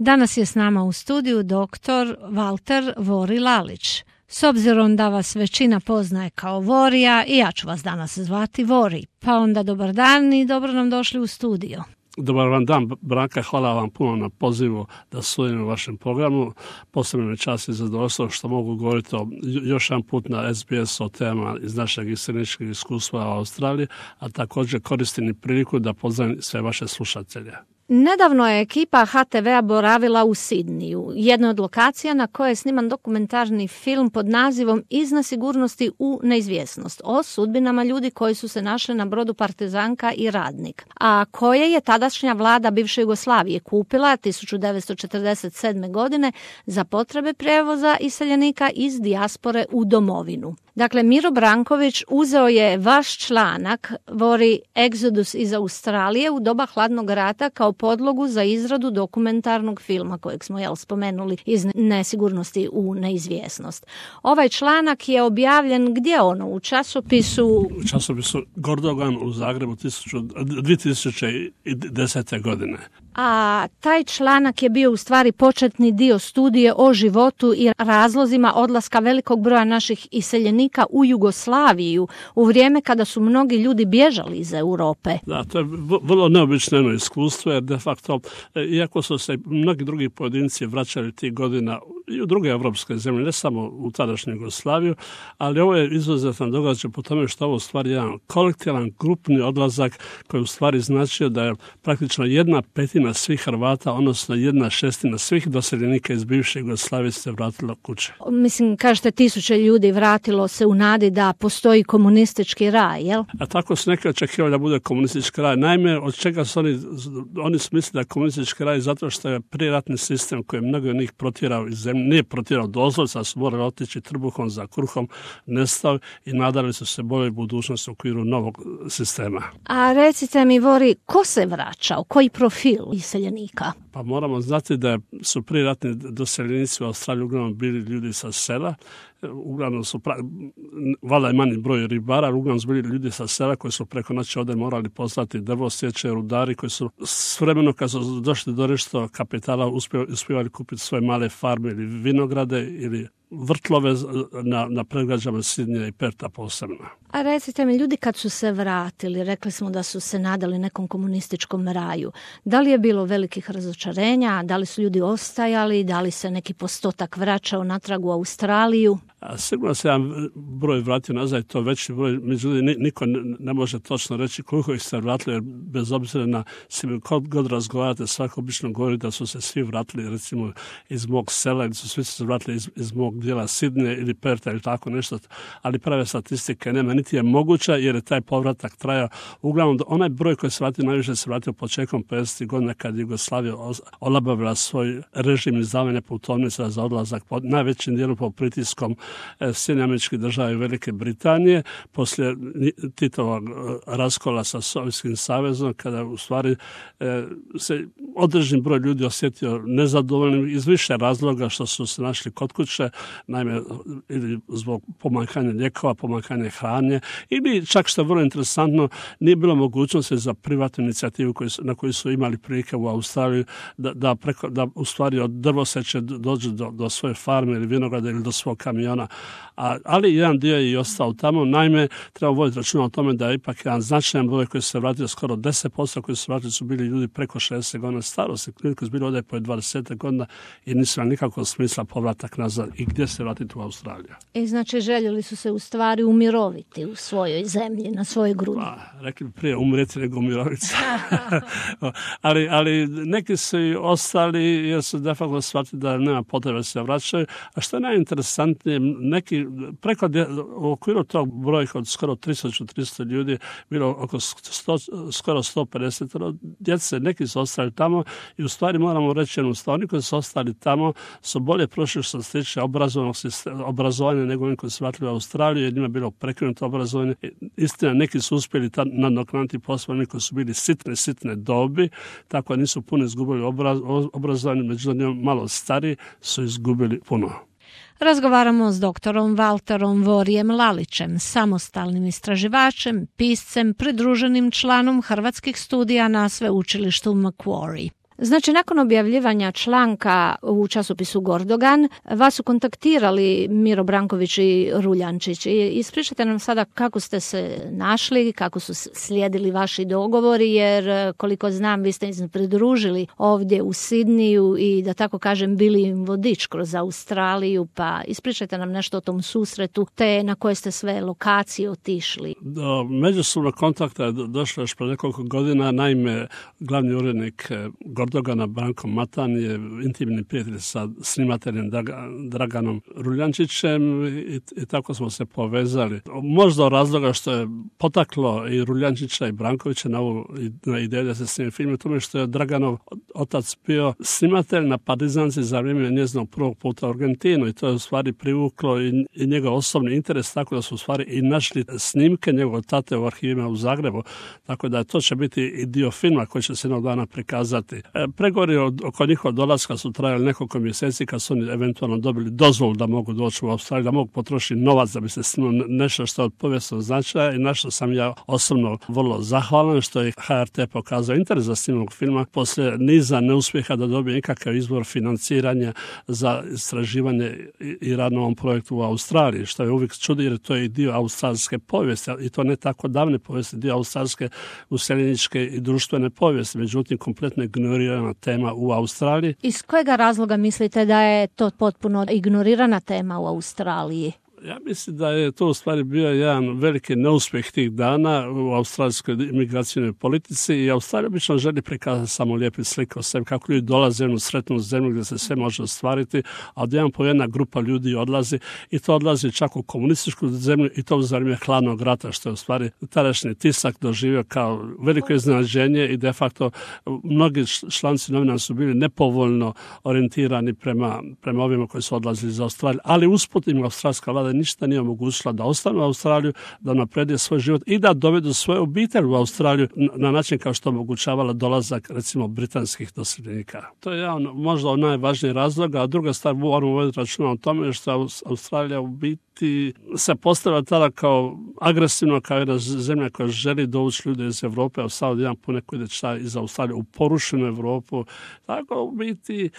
Danas je s nama u studiju dr. Valter Vori Lalić. S obzirom da vas većina poznaje kao Vorija, i ja ću vas danas zvati Vori. Pa onda dobar dan i dobro nam došli u studio. Dobar vam dan, Branka, hvala vam puno na pozivu da sudjelujem u vašem programu. Posebno mi čast i zadovoljstvo što mogu govoriti još jedan put na SBS o temama iz našeg iseljeničkog iskustva u Australiji, a također koristim i priliku da pozdravim sve vaše slušatelje. Nedavno je ekipa HTV-a boravila u Sidniju, jedna od lokacija na kojoj je sniman dokumentarni film pod nazivom Iz nesigurnosti u neizvjesnost o sudbinama ljudi koji su se našli na brodu Partizanka i Radnik, a koje je tadašnja vlada bivše Jugoslavije kupila 1947. godine za potrebe prijevoza iseljenika iz dijaspore u domovinu. Dakle, Miro Branković uzeo je vaš članak Vori Exodus iz Australije u doba hladnog rata kao podlogu za izradu dokumentarnog filma kojeg smo spomenuli iz nesigurnosti u neizvjesnost. Ovaj članak je objavljen gdje u časopisu? U časopisu Gordogan u Zagrebu 2010. godine. A taj članak je bio u stvari početni dio studije o životu i razlozima odlaska velikog broja naših iseljenika u Jugoslaviju u vrijeme kada su mnogi ljudi bježali iz Europe. Da, to je vrlo neobično iskustvo, jer de facto, iako su se mnogi drugi pojedinci vraćali tih godina i u druge evropske zemlje, ne samo u tadašnju Jugoslaviju, ali ovo je izuzetan događaj po tome što ovo u stvari jedan kolektivan, grupni odlazak koji u stvari značio da je praktično 1/5 svih Hrvata, odnosno 1/6 svih doseljenika iz bivše Jugoslavije se vratilo kuće. Mislim, kažete, 1000 ljudi vratilo se u nadi da postoji komunistički raj, jel? A tako su neki očekivali da bude komunistički raj. Naime, od čega su oni su mislili da je komunistički raj zato što je prijeratni sistem koji je mnogo od njih protjerao iz zemlje, nije protjerao doslovce, a su morali otići trbuhom za kruhom, nestao i nadali su se boljoj budućnosti u okviru novog sistema. A recite mi, Vori, ko se vraćao? Koji profil iseljenika? Pa moramo znati da su prijeratni doseljenici u Australiji uglavnom bili ljudi sa sela. Uglavnom su, valjda je manji broj ribara, ali uglavnom su bili ljudi sa sela koji su preko noći ovdje morali poslati drvo, sječe, rudari koji su s vremenom kad su došli do nešto kapitala uspjevali kupiti svoje male farme ili vinograde ili vrtlove na predgrađama Sidnija i Perta posebno. A recite mi, ljudi kad su se vratili, rekli smo da su se nadali nekom komunističkom raju. Da li je bilo velikih razočarenja? Da li su ljudi ostajali? Da li se neki postotak vraćao natrag u Australiju? Sigurno se jedan broj vratio nazad, to veći broj, međutim niko ne može točno reći koliko ih se vratili, jer bez obzira na svim god razgovarate, svako obično govori da su se svi vratili recimo iz mog sela ili su svi se vratili iz mog dijela Sidnija ili Perta ili tako nešto, ali prave statistike nema, niti je moguća jer je taj povratak trajao. Uglavnom, onaj broj koji se vratio najviše se vratio početkom 50. godina kad Jugoslavija olabavila svoj režim izdavanja putovnica za odlazak, najvećim dijelom po pritiskom Sjedinjenih Američkih Država i Velike Britanije, poslije Titovog raskola sa Sovjetskim savezom, kada u stvari se određen broj ljudi osjetio nezadovoljnim iz više razloga što su se našli kod kuće, naime ili zbog pomanjkanja lijekova, pomanjkanja hrane, ili čak što je vrlo interesantno, nije bilo mogućnosti za privatnu inicijativu na koju su imali prilike u Australiji da u stvari od drvoseče dođu do svoje farme ili vinograda ili do svog kamiona. Ali jedan dio je i ostao tamo. Naime, treba voditi računa o tome da je ipak jedan značajan broj koji se vratio, skoro 10% koji se vratili su bili ljudi preko 60 godina starosti, koji su bili ovdje po 20 godina i nisu imali nikakvog smisla povratak nazad i gdje se vratiti u Australiju. Znači, željeli su se u stvari umiroviti u svojoj zemlji, na svojoj grudi. Rekli bi prije umrijeti nego umiroviti. ali neki su i ostali jer su de facto shvatili da nema potrebe da se vraćaju. A što je najinteresantnije, neki preko u okviru tog brojka od skoro 300 ljudi bilo oko skoro 150 djece, neki su ostali tamo i u stvari moramo reći jednu stvar, oni koji su ostali tamo su bolje prošli što se tiče obrazovanja nego oni koji su vratili u Australiju, jer njima je bilo prekinuto obrazovanje. Istina, neki su uspjeli nadoknaditi posao, oni koji su bili sitne dobi, tako nisu puno izgubili obrazovanje, međutim malo stari su izgubili puno. Razgovaramo s doktorom Valterom Vorijem Lalićem, samostalnim istraživačem, piscem, pridruženim članom hrvatskih studija na sveučilištu Macquarie. Znači, nakon objavljivanja članka u časopisu Gordogan, vas su kontaktirali Miro Branković i Ruljančić. Ispričajte nam sada kako ste se našli, kako su slijedili vaši dogovori, jer koliko znam vi ste se pridružili ovdje u Sidniju i da tako kažem bili im vodič kroz Australiju, pa ispričajte nam nešto o tom susretu, te na koje ste sve lokacije otišli. Do međusobnog kontakta je došlo još pre nekoliko godina. Naime, glavni urednik Gordogana Branko Matan je intimni prijatelj sa snimateljem Draganom Ruljančićem i tako smo se povezali. Možda od razloga što je potaklo i Ruljančića i Brankovića na ideju da se snime film, tome što je Draganov otac bio snimatelj na Partizanci za vrijeme njezinog prvog puta u Argentinu i to je u stvari privuklo i njegov osobni interes, tako da su u stvari i našli snimke njegovog tate u arhivima u Zagrebu, tako da to će biti i dio filma koji će se jednog dana prikazati. Pregovori oko njihovog dolaska su trajali nekoliko mjeseci kad su oni eventualno dobili dozvolu da mogu doći u Australiju, da mogu potrošiti novac da bi se snimalo nešto što je od povijesnog značaja i na što sam ja osobno vrlo zahvalan što je HRT pokazao interes za snimog filma poslije niza neuspjeha da dobije nikakav izvor financiranja za istraživanje i rad na ovom projektu u Australiji, što je uvijek čudi jer to je i dio australske povijesti i to ne tako davne povijesti, dio australske useljeničke i društvene povijesti, međutim kompletno ignorirana tema u Australiji. Iz kojega razloga mislite da je to potpuno ignorirana tema u Australiji? Ja mislim da je to u stvari bio jedan veliki neuspjeh tih dana u australijskoj imigracijnoj politici i Australija obično želi prikazati samo lijepi slike o sebi, kako ljudi dolaze u jednu sretnu zemlju gdje se sve može ostvariti, a odjedan po jedna grupa ljudi odlazi i to odlazi čak u komunističku zemlju i to za vrijeme hladnog rata, što je u stvari tadašnji tisak doživio kao veliko iznenađenje i de facto mnogi članci novina su bili nepovoljno orijentirani prema ovima koji su odlazili iz Australije, ali usput im australska vlada ništa nije omogućila da ostanu u Australiju, da naprede svoj život i da dovedu svoje obitelji u Australiju na način kao što omogućavala dolazak recimo britanskih doseljenika. To je jedan možda od najvažnijih razloga, a druga stvar moramo voditi računa o tome što Australija u biti se postavila tada kao agresivno, kao jedna zemlja koja želi dovući ljude iz Europe, a sad jedan poneko ide iz Australije u porušenu Europu. Tako u biti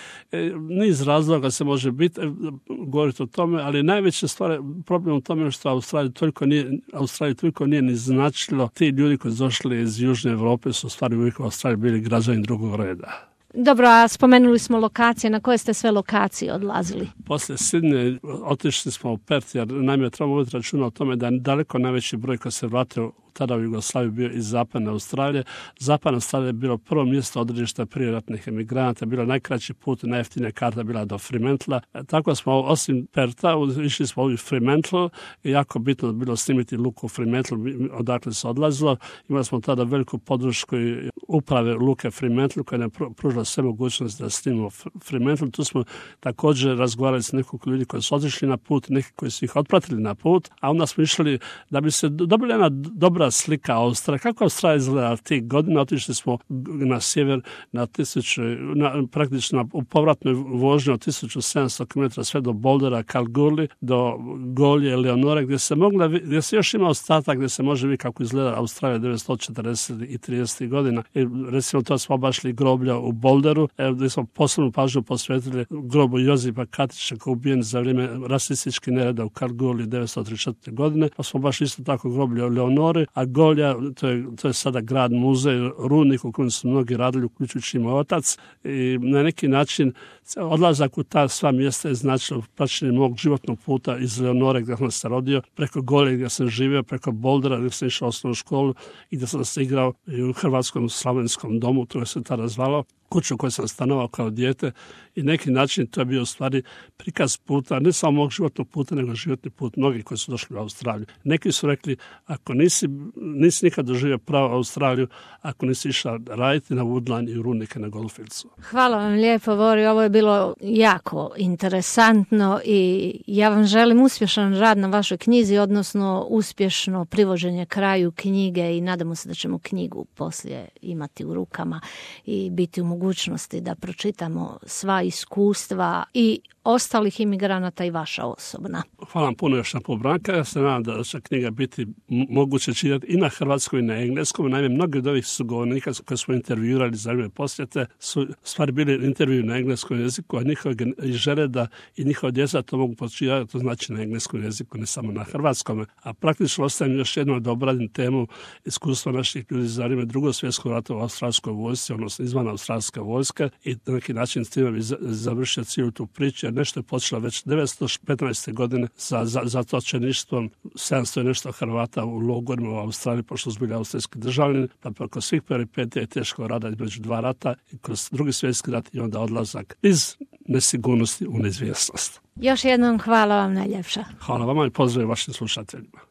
niz razloga se može biti govoriti o tome, ali najveća stvar problem u tome što Australija toliko nije ni značilo. Ti ljudi koji su došli iz Južne Europe su stvari uvijek u Australiji bili građani drugog reda. Dobro, a spomenuli smo lokacije. Na koje ste sve lokacije odlazili? Poslije Sidneja otišli smo u Perth, jer naime trebamo voditi računa o tome da je daleko najveći broj koji se vratio tada u Jugoslaviju bio iz Zapadne Australije. Zapadna Australija je bilo prvo mjesto odredišta prijeratnih emigranata, bilo najkraći put, najjeftinija karta bila do Fremantla. Tako smo osim Pertha išli smo u Fremantle i jako bitno bilo snimiti luku Fremantle, odakle se odlazilo. Imali smo tada veliku podršku uprave luke Fremantle koja nam pružila sve mogućnosti da snimimo Fremantle. Tu smo također razgovarali s nekoliko ljudi koji su otišli na put, neki koji su ih otpratili na put, a onda smo išli da bi se dobila jedna dobra slika Australije. Kako Australija izgleda tih godina? Otišli smo na sjever praktično u povratnoj vožnji od 1700 km sve do Bouldera, Kalgoorlie, do Golje, Leonore, gdje se još ima ostatak gdje se može vidjeti kako izgleda Australija 1940 i 30 godina. I recimo to smo obašli groblja u Boulderu, gdje smo posebnu pažnju posvetili grobu Josipa Katića koji je ubijen za vrijeme rasističkih nereda u Kalgoorlie 1934. godine, pa smo baš isto tako groblje u Leonore, a Golja, to je sada grad muzej, rudnik u kojem su mnogi radili, uključujući moj otac, i na neki način odlazak u ta sva mjesta je značilo praćenje mog životnog puta iz Leonore gdje sam se rodio, preko Golje gdje sam živio, preko Bouldera gdje sam išao u osnovnu školu i gdje sam se igrao u Hrvatskom slavenskom domu, to je se tada zvalo, kuću u kojoj sam stanovao kao dijete i neki način to je bio u stvari prikaz puta, ne samo mog životnog puta, nego životni put mnogih koji su došli u Australiju. Neki su rekli, ako nisi nikad doživio pravu Australiju, ako nisi išao raditi na Woodline i rudnike na Goldfieldsu. Hvala vam lijepo, Vori, ovo je bilo jako interesantno i ja vam želim uspješan rad na vašoj knjizi, odnosno uspješno privođenje kraju knjige i nadamo se da ćemo knjigu poslije imati u rukama i biti u mogućnosti da pročitamo sva iskustva i ostalih imigranata i vaša osobna. hvala puno još na Branka. Ja se nadam da će knjiga biti moguće čitati i na hrvatskom i na engleskom. Naime, mnogi od ovih sugovornika koje smo intervjuirali za vrijeme posjete su stvari bili intervju na engleskom jeziku, a njihove žele da i njihova djeca to mogu počitati, to znači na engleskom jeziku, ne samo na hrvatskom. A praktično ostajem još jednom da obradim temu iskustva naših ljudi za vrijeme Drugog svjetskog rata u australskoj vojsci, odnosno izvan australske vojske, i na neki način s time bi završio cijelu tu priču, jer nešto je počelo već 1915. godine sa zatočeništvom 700 i nešto Hrvata u logorima u Australiji, pošto su bili austrijski državljani, pa preko svih peripetija i teškog rada između dva rata i kroz Drugi svjetski rat i onda odlazak iz nesigurnosti u neizvjesnost. Još jednom hvala vam najljepša. Hvala vama i pozdrav vašim slušateljima.